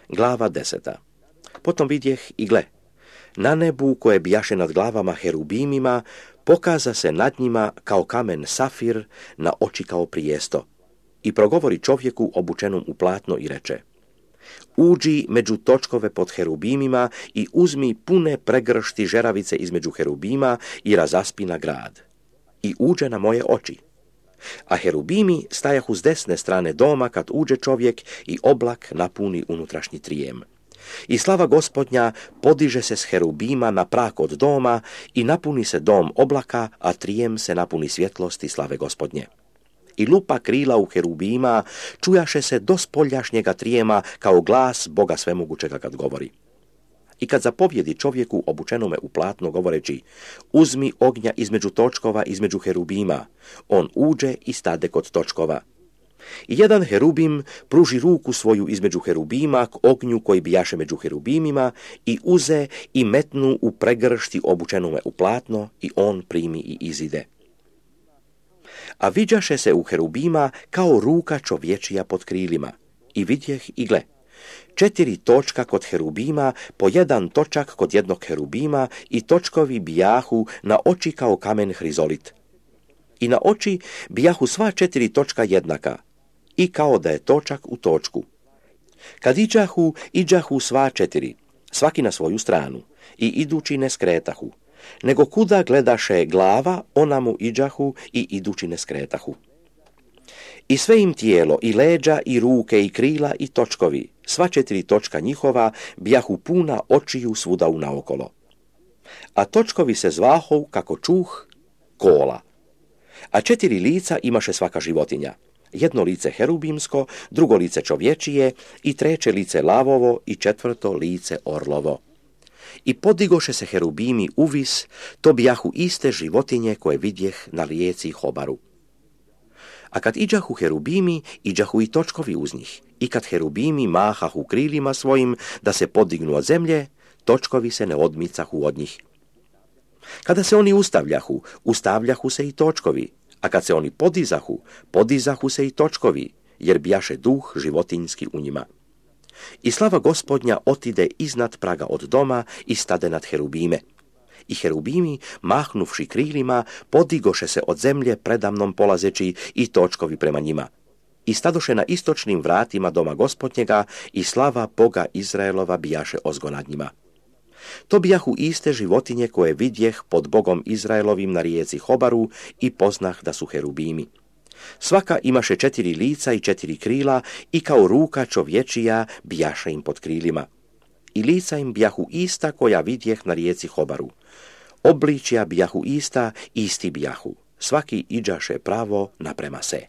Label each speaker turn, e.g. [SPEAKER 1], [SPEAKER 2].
[SPEAKER 1] Glava 10. Potom vidjeh i gle, na nebu koje bijaše nad glavama herubimima, pokaza se nad njima kao kamen safir, na oči kao prijesto. I progovori čovjeku obučenom u platno i reče: uđi među točkove pod herubimima i uzmi pune pregršti žeravice između herubima i razaspi na grad. I uđe na moje oči. A herubimi stajahu s desne strane doma kad uđe čovjek i oblak napuni unutrašnji trijem. I slava Gospodnja podiže se s herubima na prak od doma i napuni se dom oblaka, a trijem se napuni svjetlosti slave Gospodnje. I lupa krila u herubima čujaše se do spoljašnjega trijema kao glas Boga svemogućega kad govori. I kad zapovjedi čovjeku obučenome u platno govoreći: uzmi ognja između točkova, između herubima, on uđe i stade kod točkova. I jedan herubim pruži ruku svoju između herubima k ognju koji bijaše među herubimima i uze i metnu u pregršti obučenome u platno i on primi i izide. A viđaše se u herubima kao ruka čovječija pod krilima. I vidjeh i gle, 4 točka kod herubima, po 1 točak kod jednog herubima i točkovi bijahu na oči kao kamen hrizolit. I na oči bijahu sva 4 točka jednaka, i kao da je točak u točku. Kad iđahu sva 4, svaki na svoju stranu, i idući ne skretahu, nego kuda gledaše glava, ona mu iđahu i idući ne skretahu. I sve im tijelo, i leđa, i ruke, i krila, i točkovi, sva 4 točka njihova, bijahu puna očiju svuda unaokolo. A točkovi se zvahu, kako čuh, kola. A 4 lica imaše svaka životinja. 1 lice herubimsko, 2 lice čovječije, i 3 lice lavovo, i 4 lice orlovo. I podigoše se herubimi uvis, to bijahu iste životinje koje vidjeh na rijeci Hobaru. A kad iđahu herubimi, iđahu i točkovi uz njih. I kad herubimi mahahu krilima svojim da se podignu od zemlje, točkovi se ne odmicahu od njih. Kada se oni ustavljahu se i točkovi, a kad se oni podizahu se i točkovi, jer bijaše duh životinjski u njima. I slava Gospodnja otide iznad praga od doma i stade nad herubime. I herubimi, mahnuvši krilima, podigoše se od zemlje predamnom polazeći i točkovi prema njima. I stadoše na istočnim vratima doma Gospodnjega i slava Boga Izraelova bijaše ozgo nad njima. To bijahu iste životinje koje vidjeh pod Bogom Izraelovim na rijeci Hobaru i poznah da su herubimi. Svaka imaše 4 lica i 4 krila i kao ruka čovječija bijaše im pod krilima. I lica im bijahu ista koja vidjeh na rijeci Hobaru. Obličja bijahu ista, isti bijahu. Svaki iđaše pravo naprema se.